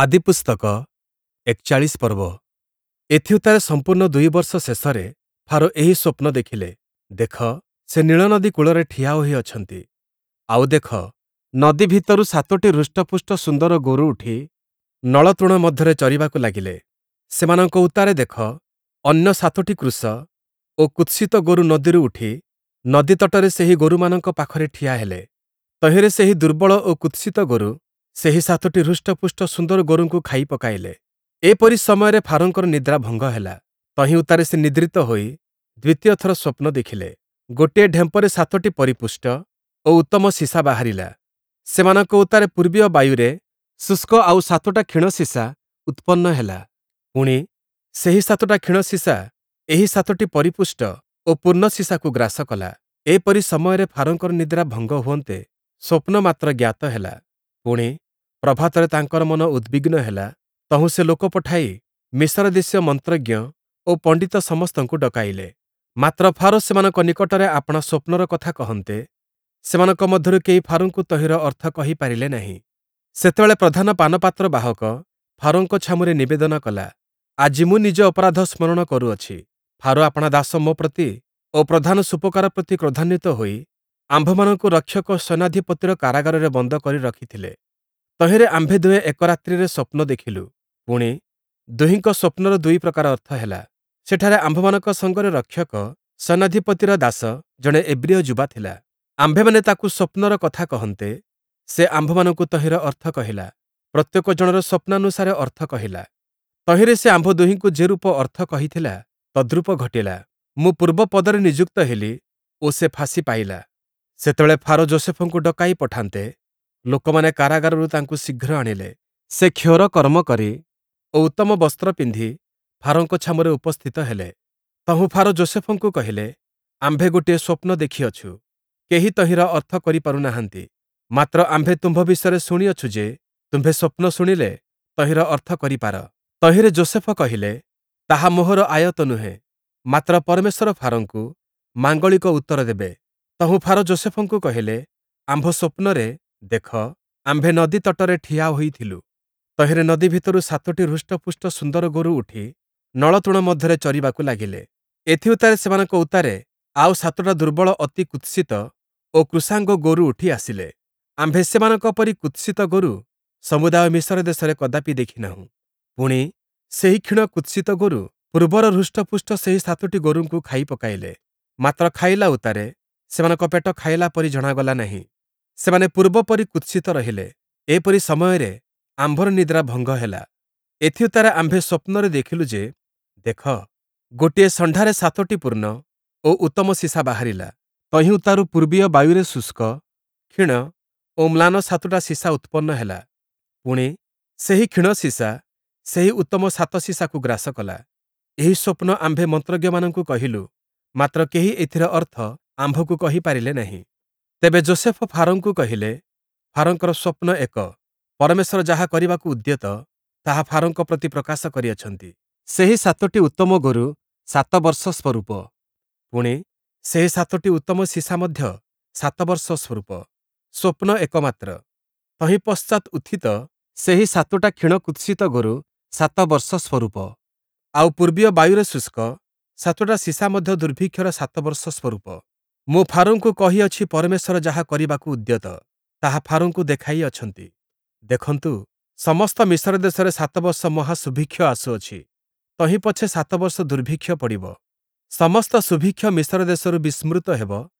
ଆଦିପୁସ୍ତକ ୪୧ ପର୍ବ। ଏଥିଉତ୍ତାରେ ସମ୍ପୂର୍ଣ୍ଣ ୨ ବର୍ଷ ଶେଷରେ ଫାରୋ ଏହି ସ୍ୱପ୍ନ ଦେଖିଲେ, ଦେଖ, ସେ ନୀଳନଦୀ କୂଳରେ ଠିଆ ହୋଇଅଛନ୍ତି। ଆଉ ଦେଖ, ନଦୀ ଭିତରୁ ସାତୋଟି ହୃଷ୍ଟପୁଷ୍ଟ ସୁନ୍ଦର ଗୋରୁ ଉଠି ନଳତୃଣ ମଧ୍ୟରେ ଚରିବାକୁ ଲାଗିଲେ। ସେମାନଙ୍କ ଉତ୍ତାରେ ଦେଖ, ଅନ୍ୟ ସାତୋଟି କୃଶ ଓ କୁତ୍ସିତ ଗୋରୁ ନଦୀରୁ ଉଠି ନଦୀ ତଟରେ ସେହି ଗୋରୁମାନଙ୍କ ପାଖରେ ଠିଆ ହେଲେ। ତହିଁରେ ସେହି ଦୁର୍ବଳ ଓ କୁତ୍ସିତ ଗୋରୁ ସେହି ସାତୋଟି ହୃଷ୍ଟପୁଷ୍ଟ ସୁନ୍ଦର ଗୋରୁଙ୍କୁ ଖାଇ ପକାଇଲେ। ଏପରି ସମୟରେ ଫାରୋଙ୍କର ନିଦ୍ରା ଭଙ୍ଗ ହେଲା। ତହିଁ ଉତ୍ତାରେ ସେ ନିଦ୍ରିତ ହୋଇ ଦ୍ୱିତୀୟ ଥର ସ୍ୱପ୍ନ ଦେଖିଲେ। ଗୋଟିଏ ଢେମ୍ପରେ ସାତୋଟି ପରିପୁଷ୍ଟ ଓ ଉତ୍ତମ ସୀସା ବାହାରିଲା। ସେମାନଙ୍କ ଉତ୍ତାରେ ପୂର୍ବୀୟ ବାୟୁରେ ଶୁଷ୍କ ଆଉ ସାତୋଟା କ୍ଷୀଣ ସୀସା ଉତ୍ପନ୍ନ ହେଲା। ପୁଣି, ସେହି ସାତୋଟା କ୍ଷୀଣ ସୀସା ଏହି ସାତୋଟି ପରିପୁଷ୍ଟ ଓ ପୂର୍ଣ୍ଣ ସୀସାକୁ ଗ୍ରାସ କଲା। ଏପରି ସମୟରେ ଫାରୋଙ୍କର ନିଦ୍ରା ଭଙ୍ଗ ହୁଅନ୍ତେ ସ୍ୱପ୍ନ ମାତ୍ର ଜ୍ଞାତ ହେଲା। ପୁଣି, ପ୍ରଭାତରେ ତାଙ୍କର ମନ ଉଦ୍ବିଗ୍ନ ହେଲା। ତହୁଁ ସେ ଲୋକ ପଠାଇ ମିଶର ଦେଶୀୟ ମନ୍ତ୍ରଜ୍ଞ ଓ ପଣ୍ଡିତ ସମସ୍ତଙ୍କୁ ଡକାଇଲେ। ମାତ୍ର ଫାରୋ ସେମାନଙ୍କ ନିକଟରେ ଆପଣା ସ୍ୱପ୍ନର କଥା କହନ୍ତେ, ସେମାନଙ୍କ ମଧ୍ୟରୁ କେହି ଫାରୋଙ୍କୁ ତହିଁର ଅର୍ଥ କହିପାରିଲେ ନାହିଁ। ସେତେବେଳେ ପ୍ରଧାନ ପାନପାତ୍ର ବାହକ ଫାରୋଙ୍କ ଛାମୁରେ ନିବେଦନ କଲା, ଆଜି ମୁଁ ନିଜ ଅପରାଧ ସ୍ମରଣ କରୁଅଛି। ଫାରୋ ଆପଣା ଦାସ ମୋ ପ୍ରତି ଓ ପ୍ରଧାନ ସୂପକାର ପ୍ରତି କ୍ରୋଧାନ୍ୱିତ ହୋଇ ଆମ୍ଭମାନଙ୍କୁ ରକ୍ଷକ ସୈନ୍ୟାଧିପତିର କାରାଗାରରେ ବନ୍ଦ କରି ରଖିଥିଲେ। ତହିଁରେ ଆମ୍ଭେ ଦୁହେଁ ଏକ ରାତ୍ରିରେ ସ୍ୱପ୍ନ ଦେଖିଲୁ। ପୁଣି, ଦୁହିଁଙ୍କ ସ୍ୱପ୍ନର ଦୁଇ ପ୍ରକାର ଅର୍ଥ ହେଲା। ସେଠାରେ ଆମ୍ଭମାନଙ୍କ ସଙ୍ଗରେ ରକ୍ଷକ ସୈନ୍ୟାଧିପତିର ଦାସ ଜଣେ ଏବ୍ରୀୟ ଯୁବା ଥିଲା। ଆମ୍ଭେମାନେ ତାକୁ ସ୍ୱପ୍ନର କଥା କହନ୍ତେ, ସେ ଆମ୍ଭମାନଙ୍କୁ ତହିଁର ଅର୍ଥ କହିଲା। ପ୍ରତ୍ୟେକ ଜଣର ସ୍ୱପ୍ନାନୁସାରେ ଅର୍ଥ କହିଲା। ତହିଁରେ ସେ ଆମ୍ଭ ଦୁହିଁଙ୍କୁ ଯେରୂପ ଅର୍ଥ କହିଥିଲା, ତଦ୍ରୂପ ଘଟିଲା। ମୁଁ ପୂର୍ବ ପଦରେ ନିଯୁକ୍ତ ହେଲି ଓ ସେ ଫାଶୀ ପାଇଲା। ସେତେବେଳେ ଫାରୋ ଯୋଷେଫଙ୍କୁ ଡକାଇ ପଠାନ୍ତେ, ଲୋକମାନେ କାରାଗାରରୁ ତାଙ୍କୁ ଶୀଘ୍ର ଆଣିଲେ। ସେ କ୍ଷୌର କର୍ମ କରି ଓ ଉତ୍ତମ ବସ୍ତ୍ର ପିନ୍ଧି ଫାରୋଙ୍କ ଛାମୁରେ ଉପସ୍ଥିତ ହେଲେ। ତହୁଁ ଫାରୋ ଯୋଷେଫଙ୍କୁ କହିଲେ, ଆମ୍ଭେ ଗୋଟିଏ ସ୍ୱପ୍ନ ଦେଖିଅଛୁ, କେହି ତହିଁର ଅର୍ଥ କରିପାରୁ ନାହାନ୍ତି। ମାତ୍ର ଆମ୍ଭେ ତୁମ୍ଭ ବିଷୟରେ ଶୁଣିଅଛୁ ଯେ, ତୁମ୍ଭେ ସ୍ୱପ୍ନ ଶୁଣିଲେ ତହିଁର ଅର୍ଥ କରିପାର। ତହିଁରେ ଯୋଷେଫ କହିଲେ, ତାହା ମୋହର ଆୟତ୍ତ ନୁହେଁ, ମାତ୍ର ପରମେଶ୍ୱର ଫାରୋଙ୍କୁ ମାଙ୍ଗଳିକ ଉତ୍ତର ଦେବେ। ତହୁଁ ଫାରୋ ଯୋଷେଫଙ୍କୁ କହିଲେ, ଆମ୍ଭ ସ୍ୱପ୍ନରେ ଦେଖ, ଆମ୍ଭେ ନଦୀ ତଟରେ ଠିଆ ହୋଇଥିଲୁ। ତହିଁରେ ନଦୀ ଭିତରୁ ସାତୋଟି ହୃଷ୍ଟପୁଷ୍ଟ ସୁନ୍ଦର ଗୋରୁ ଉଠି ନଳତୃଣ ମଧ୍ୟରେ ଚରିବାକୁ ଲାଗିଲେ। ଏଥିଉତ୍ତାରେ ସେମାନଙ୍କ ଉତ୍ତାରେ ଆଉ ସାତୋଟା ଦୁର୍ବଳ ଅତି କୁତ୍ସିତ ଓ କୃଶାଙ୍ଗ ଗୋରୁ ଉଠି ଆସିଲେ। ଆମ୍ଭେ ସେମାନଙ୍କ ପରି କୁତ୍ସିତ ଗୋରୁ ସମୁଦାୟ ମିଶର ଦେଶରେ କଦାପି ଦେଖିନାହୁଁ। ପୁଣି, ସେହି କ୍ଷୀଣ କୁତ୍ସିତ ଗୋରୁ ପୂର୍ବର ହୃଷ୍ଟପୁଷ୍ଟ ସେହି ସାତୋଟି ଗୋରୁଙ୍କୁ ଖାଇ ପକାଇଲେ। ମାତ୍ର ଖାଇଲା ଉତ୍ତାରେ ସେମାନଙ୍କ ପେଟ ଖାଇଲା ପରି ଜଣାଗଲା ନାହିଁ। ସେମାନେ ପୂର୍ବ ପରି କୁତ୍ସିତ ରହିଲେ। ଏପରି ସମୟରେ ଆମ୍ଭର ନିଦ୍ରା ଭଙ୍ଗ ହେଲା। ଏଥିଉତ୍ତାରେ ଆମ୍ଭେ ସ୍ୱପ୍ନରେ ଦେଖିଲୁ ଯେ, ଦେଖ, ଗୋଟିଏ ଷଣ୍ଢାରେ ସାତୋଟି ପୂର୍ଣ୍ଣ ଓ ଉତ୍ତମ ସୀସା ବାହାରିଲା। ତହିଁ ଉତ୍ତାରୁ ପୂର୍ବୀୟ ବାୟୁରେ ଶୁଷ୍କ, କ୍ଷୀଣ ଓ ମ୍ଳାନ ସାତୋଟା ସୀସା ଉତ୍ପନ୍ନ ହେଲା। ପୁଣି, ସେହି କ୍ଷୀଣ ସୀସା ସେହି ଉତ୍ତମ ସାତ ସୀସାକୁ ଗ୍ରାସ କଲା। ଏହି ସ୍ୱପ୍ନ ଆମ୍ଭେ ମନ୍ତ୍ରଜ୍ଞମାନଙ୍କୁ କହିଲୁ, ମାତ୍ର କେହି ଏଥିର ଅର୍ଥ ଆମ୍ଭକୁ କହିପାରିଲେ ନାହିଁ। ତେବେ ଯୋଷେଫ ଫାରୋଙ୍କୁ କହିଲେ, ଫାରୋଙ୍କର ସ୍ୱପ୍ନ ଏକ, ପରମେଶ୍ୱର ଯାହା କରିବାକୁ ଉଦ୍ୟତ, ତାହା ଫାରୋଙ୍କ ପ୍ରତି ପ୍ରକାଶ କରିଅଛନ୍ତି। ସେହି ସାତୋଟି ଉତ୍ତମ ଗୋରୁ ୭ ବର୍ଷ ସ୍ୱରୂପ। ପୁଣି, ସେହି ସାତୋଟି ଉତ୍ତମ ସୀସା ମଧ୍ୟ ୭ ବର୍ଷ ସ୍ୱରୂପ। ସ୍ୱପ୍ନ ଏକମାତ୍ର। ତହିଁ ପଶ୍ଚାତ୍ ଉତ୍ଥିତ ସେହି ସାତୋଟା କ୍ଷୀଣ କୁତ୍ସିତ ଗୋରୁ ୭ ବର୍ଷ ସ୍ୱରୂପ। ଆଉ ପୂର୍ବୀୟ ବାୟୁରେ ଶୁଷ୍କ ସାତୋଟା ସୀସା ମଧ୍ୟ ଦୁର୍ଭିକ୍ଷର ୭ ବର୍ଷ ସ୍ୱରୂପ। ମୁଁ ଫାରୋଙ୍କୁ କହିଅଛି, ପରମେଶ୍ୱର ଯାହା କରିବାକୁ ଉଦ୍ୟତ, ତାହା ଫାରୋଙ୍କୁ ଦେଖାଇ ଅଛନ୍ତି। ଦେଖନ୍ତୁ, ସମସ୍ତ ମିଶର ଦେଶରେ ୭ ବର୍ଷ ମହାସୁଭିକ୍ଷ ଆସୁଅଛି। ତହିଁ ପଛେ ୭ ବର୍ଷ ଦୁର୍ଭିକ୍ଷ ପଡ଼ିବ। ସମସ୍ତ ସୁଭିକ୍ଷ ମିଶର ଦେଶରୁ ବିସ୍ମୃତ ହେବ,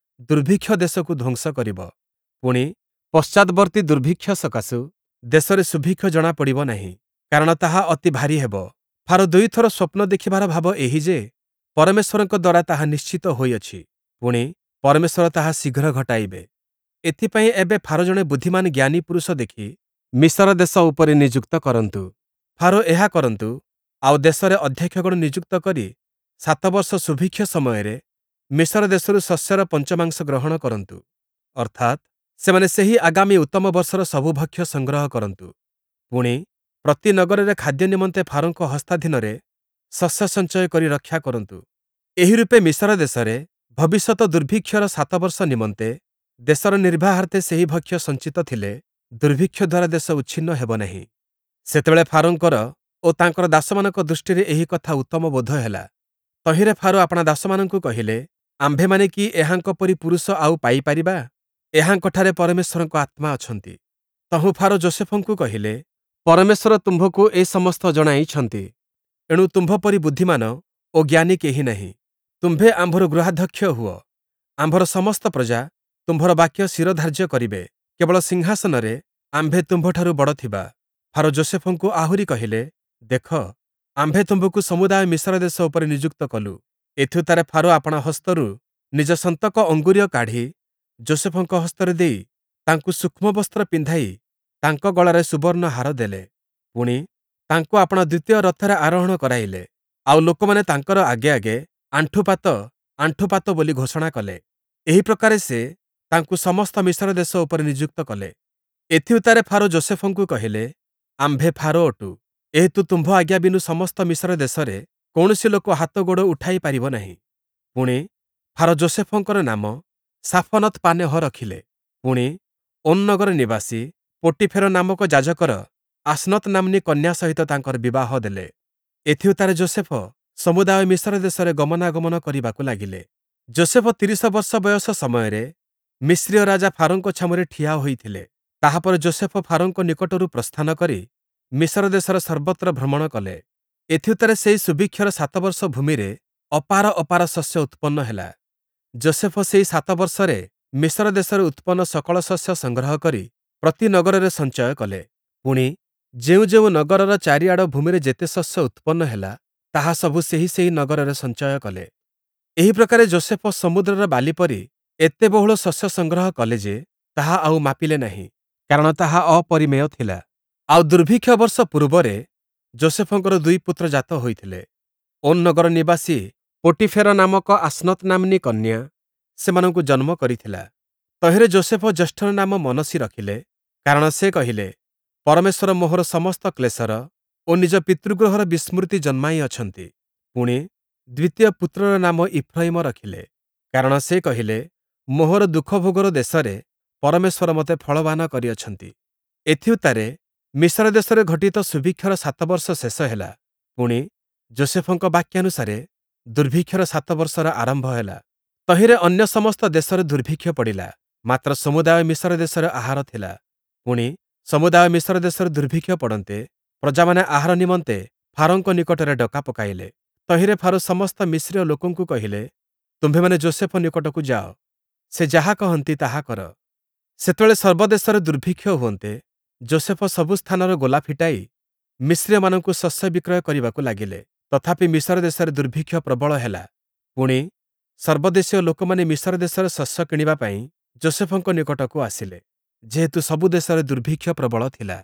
ଦୁର୍ଭିକ୍ଷ ଦେଶକୁ ଧ୍ୱଂସ କରିବ। ପୁଣି, ପଶ୍ଚାତବର୍ତ୍ତୀ ଦୁର୍ଭିକ୍ଷ ସକାଶୁ ଦେଶରେ ସୁଭିକ୍ଷ ଜଣାପଡ଼ିବ ନାହିଁ, କାରଣ ତାହା ଅତି ଭାରୀ ହେବ। ଫାରୋ ଦୁଇଥର ସ୍ୱପ୍ନ ଦେଖିବାର ଭାବ ଏହି ଯେ, ପରମେଶ୍ୱରଙ୍କ ଦ୍ୱାରା ତାହା ନିଶ୍ଚିତ ହୋଇଅଛି। ପୁଣି, ପରମେଶ୍ୱର ତାହା ଶୀଘ୍ର ଘଟାଇବେ। ଏଥିପାଇଁ ଏବେ ଫାରୋ ଜଣେ ବୁଦ୍ଧିମାନ ଜ୍ଞାନୀ ପୁରୁଷ ଦେଖି ମିଶର ଦେଶ ଉପରେ ନିଯୁକ୍ତ କରନ୍ତୁ। ଫାରୋ ଏହା କରନ୍ତୁ, ଆଉ ଦେଶରେ ଅଧ୍ୟକ୍ଷଗଣ ନିଯୁକ୍ତ କରି ୭ ବର୍ଷ ସୁଭିକ୍ଷ ସମୟରେ ମିଶର ଦେଶରୁ ଶସ୍ୟର ପଞ୍ଚମାଂଶ ଗ୍ରହଣ କରନ୍ତୁ। ଅର୍ଥାତ୍ ସେମାନେ ସେହି ଆଗାମୀ ଉତ୍ତମ ବର୍ଷର ସବୁ ଭକ୍ଷ୍ୟ ସଂଗ୍ରହ କରନ୍ତୁ। ପୁଣି, ପ୍ରତି ନଗରରେ ଖାଦ୍ୟ ନିମନ୍ତେ ଫାରୋଙ୍କ ହସ୍ତାଧୀନରେ ଶସ୍ୟ ସଞ୍ଚୟ କରି ରକ୍ଷା କରନ୍ତୁ। ଏହି ରୂପେ ମିଶର ଦେଶରେ ଭବିଷ୍ୟତ ଦୁର୍ଭିକ୍ଷର ୭ ବର୍ଷ ନିମନ୍ତେ ଦେଶର ନିର୍ବାହାର୍ଥେ ସେହି ଭକ୍ଷ୍ୟ ସଞ୍ଚିତ ଥିଲେ ଦୁର୍ଭିକ୍ଷ ଦ୍ୱାରା ଦେଶ ଉଚ୍ଛିନ୍ନ ହେବ ନାହିଁ। ସେତେବେଳେ ଫାରୋଙ୍କର ଓ ତାଙ୍କର ଦାସମାନଙ୍କ ଦୃଷ୍ଟିରେ ଏହି କଥା ଉତ୍ତମ ବୋଧ ହେଲା। ତହିଁରେ ଫାରୋ ଆପଣା ଦାସମାନଙ୍କୁ କହିଲେ, ଆମ୍ଭେମାନେ କି ଏହାଙ୍କ ପରି ପୁରୁଷ ଆଉ ପାଇପାରିବା? ଏହାଙ୍କଠାରେ ପରମେଶ୍ୱରଙ୍କ ଆତ୍ମା ଅଛନ୍ତି। ତହୁଁ ଫାରୋ ଯୋଷେଫଙ୍କୁ କହିଲେ, ପରମେଶ୍ୱର ତୁମ୍ଭକୁ ଏ ସମସ୍ତ ଜଣାଇଛନ୍ତି, ଏଣୁ ତୁମ୍ଭ ପରି ବୁଦ୍ଧିମାନ ଓ ଜ୍ଞାନୀ କେହି ନାହିଁ। ତୁମ୍ଭେ ଆମ୍ଭର ଗୃହାଧ୍ୟକ୍ଷ ହୁଅ, ଆମ୍ଭର ସମସ୍ତ ପ୍ରଜା ତୁମ୍ଭର ବାକ୍ୟ ଶିରଧାର୍ଯ୍ୟ କରିବେ। କେବଳ ସିଂହାସନରେ ଆମ୍ଭେ ତୁମ୍ଭଠାରୁ ବଡ଼ ଥିବା। ଫାରୋ ଯୋଷେଫଙ୍କୁ ଆହୁରି କହିଲେ, ଦେଖ, ଆମ୍ଭେ ତୁମ୍ଭକୁ ସମୁଦାୟ ମିଶର ଦେଶ ଉପରେ ନିଯୁକ୍ତ କଲୁ। ଏଥିଉତ୍ତାରେ ଫାରୋ ଆପଣା ହସ୍ତରୁ ନିଜ ସନ୍ତକ ଅଙ୍ଗୁରୀୟ କାଢ଼ି ଯୋଷେଫଙ୍କ ହସ୍ତରେ ଦେଇ ତାଙ୍କୁ ସୂକ୍ଷ୍ମ ବସ୍ତ୍ର ପିନ୍ଧାଇ ତାଙ୍କ ଗଳାରେ ସୁବର୍ଣ୍ଣ ହାର ଦେଲେ। ପୁଣି, ତାଙ୍କୁ ଆପଣା ଦ୍ୱିତୀୟ ରଥରେ ଆରୋହଣ କରାଇଲେ, ଆଉ ଲୋକମାନେ ତାଙ୍କର ଆଗେ ଆଗେ ଆଣ୍ଠୁପାତ, ଆଣ୍ଠୁପାତ ବୋଲି ଘୋଷଣା କଲେ। ଏହି ପ୍ରକାରେ ସେ ତାଙ୍କୁ ସମସ୍ତ ମିଶର ଦେଶ ଉପରେ ନିଯୁକ୍ତ କଲେ। ଏଥିଉତ୍ତାରେ ଫାରୋ ଯୋଷେଫଙ୍କୁ କହିଲେ, ଆମ୍ଭେ ଫାରୋ ଅଟୁ, ଏହେତୁ ତୁମ୍ଭ ଆଜ୍ଞା ବିନୁ ସମସ୍ତ ମିଶର ଦେଶରେ କୌଣସି ଲୋକ ହାତ ଗୋଡ଼ ଉଠାଇ ପାରିବ ନାହିଁ। ପୁଣି, ଫାରୋ ଯୋଷେଫଙ୍କର ନାମ ସାଫନତ୍ ପାନେହ ରଖିଲେ। ପୁଣି, ଓନ୍ ନଗର ନିବାସୀ ପୋଟୀଫେର ନାମକ ଯାଜକର ଆସ୍ନତ୍ ନାମ୍ନୀ କନ୍ୟା ସହିତ ତାଙ୍କର ବିବାହ ଦେଲେ। ଏଥିଉତ୍ତାରେ ଯୋଷେଫ ସମୁଦାୟ ମିଶର ଦେଶରେ ଗମନାଗମନ କରିବାକୁ ଲାଗିଲେ। ଯୋଷେଫ 30 ବର୍ଷ ବୟସ ସମୟରେ ମିସ୍ରୀୟ ରାଜା ଫାରୋଙ୍କ ଛାମୁରେ ଠିଆ ହୋଇଥିଲେ। ତାହାପରେ ଯୋଷେଫ ଫାରୋଙ୍କ ନିକଟରୁ ପ୍ରସ୍ଥାନ କରି ମିଶର ଦେଶର ସର୍ବତ୍ର ଭ୍ରମଣ କଲେ। ଏଥିଉତ୍ତାରେ ସେହି ସୁଭିକ୍ଷର 7 ବର୍ଷ ଭୂମିରେ ଅପାର ଅପାର ଶସ୍ୟ ଉତ୍ପନ୍ନ ହେଲା। ଯୋଷେଫ ସେହି 7 ବର୍ଷରେ ମିଶର ଦେଶରେ ଉତ୍ପନ୍ନ ସକଳ ଶସ୍ୟ ସଂଗ୍ରହ କରି ପ୍ରତି ନଗରରେ ସଞ୍ଚୟ କଲେ। ପୁଣି, ଯେଉଁ ଯେଉଁ ନଗରର ଚାରିଆଡ଼ ଭୂମିରେ ଯେତେ ଶସ୍ୟ ଉତ୍ପନ୍ନ ହେଲା, ତାହା ସବୁ ସେହି ସେହି ନଗରରେ ସଞ୍ଚୟ କଲେ। ଏହି ପ୍ରକାରେ ଯୋଷେଫ ସମୁଦ୍ରର ବାଲି ପରି ଏତେ ବହୁଳ ଶସ୍ୟ ସଂଗ୍ରହ କଲେ ଯେ, ତାହା ଆଉ ମାପିଲେ ନାହିଁ, କାରଣ ତାହା ଅପରିମେୟ ଥିଲା। ଆଉ ଦୁର୍ଭିକ୍ଷ ବର୍ଷ ପୂର୍ବରେ ଯୋଷେଫଙ୍କର 2 ପୁତ୍ର ଜାତ ହୋଇଥିଲେ। ଓନ୍ ନଗର ନିବାସୀ ପୋଟୀଫେର ନାମକ ଆସ୍ନତ୍ ନାମ୍ନୀ କନ୍ୟା ସେମାନଙ୍କୁ ଜନ୍ମ କରିଥିଲା। ତହିଁରେ ଯୋଷେଫ ଜ୍ୟେଷ୍ଠର ନାମ ମନସୀ ରଖିଲେ, କାରଣ ସେ କହିଲେ, ପରମେଶ୍ୱର ମୋହର ସମସ୍ତ କ୍ଲେଶର ଓ ନିଜ ପିତୃଗୃହର ବିସ୍ମୃତି ଜନ୍ମାଇ ଅଛନ୍ତି। ପୁଣି, ଦ୍ୱିତୀୟ ପୁତ୍ରର ନାମ ଇଫ୍ରୟିମ ରଖିଲେ, କାରଣ ସେ କହିଲେ, ମୋହର ଦୁଃଖଭୋଗର ଦେଶରେ ପରମେଶ୍ୱର ମୋତେ ଫଳବାନ କରିଅଛନ୍ତି। ଏଥିଉତ୍ତାରେ ମିଶର ଦେଶରେ ଘଟିତ ସୁଭିକ୍ଷର 7 ବର୍ଷ ଶେଷ ହେଲା। ପୁଣି, ଯୋଷେଫଙ୍କ ବାକ୍ୟାନୁସାରେ ଦୁର୍ଭିକ୍ଷର 7 ବର୍ଷର ଆରମ୍ଭ ହେଲା। ତହିଁରେ ଅନ୍ୟ ସମସ୍ତ ଦେଶରେ ଦୁର୍ଭିକ୍ଷ ପଡ଼ିଲା, ମାତ୍ର ସମୁଦାୟ ମିଶର ଦେଶରେ ଆହାର ଥିଲା। ପୁଣି, ସମୁଦାୟ ମିଶର ଦେଶରେ ଦୁର୍ଭିକ୍ଷ ପଡ଼ନ୍ତେ ପ୍ରଜାମାନେ ଆହାର ନିମନ୍ତେ ଫାରୋଙ୍କ ନିକଟରେ ଡକା ପକାଇଲେ। ତହିଁରେ ଫାରୋ ସମସ୍ତ ମିସ୍ରୀୟ ଲୋକଙ୍କୁ କହିଲେ, ତୁମ୍ଭେମାନେ ଯୋଷେଫ ନିକଟକୁ ଯାଅ, ସେ ଯାହା କହନ୍ତି ତାହା କର। ସେତେବେଳେ ସର୍ବଦେଶରେ ଦୁର୍ଭିକ୍ଷ ହୁଅନ୍ତେ, ଯୋଷେଫ ସବୁ ସ୍ଥାନର ଗୋଲା ଫିଟାଇ ମିସ୍ରୀୟମାନଙ୍କୁ ଶସ୍ୟ ବିକ୍ରୟ କରିବାକୁ ଲାଗିଲେ। ତଥାପି ମିଶର ଦେଶରେ ଦୁର୍ଭିକ୍ଷ ପ୍ରବଳ ହେଲା। ପୁଣି, ସର୍ବଦେଶୀୟ ଲୋକମାନେ ମିଶର ଦେଶରେ ଶସ୍ୟ କିଣିବା ପାଇଁ ଯୋଷେଫଙ୍କ ନିକଟକୁ ଆସିଲେ, ଯେହେତୁ ସବୁ ଦେଶରେ ଦୁର୍ଭିକ୍ଷ ପ୍ରବଳ ଥିଲା।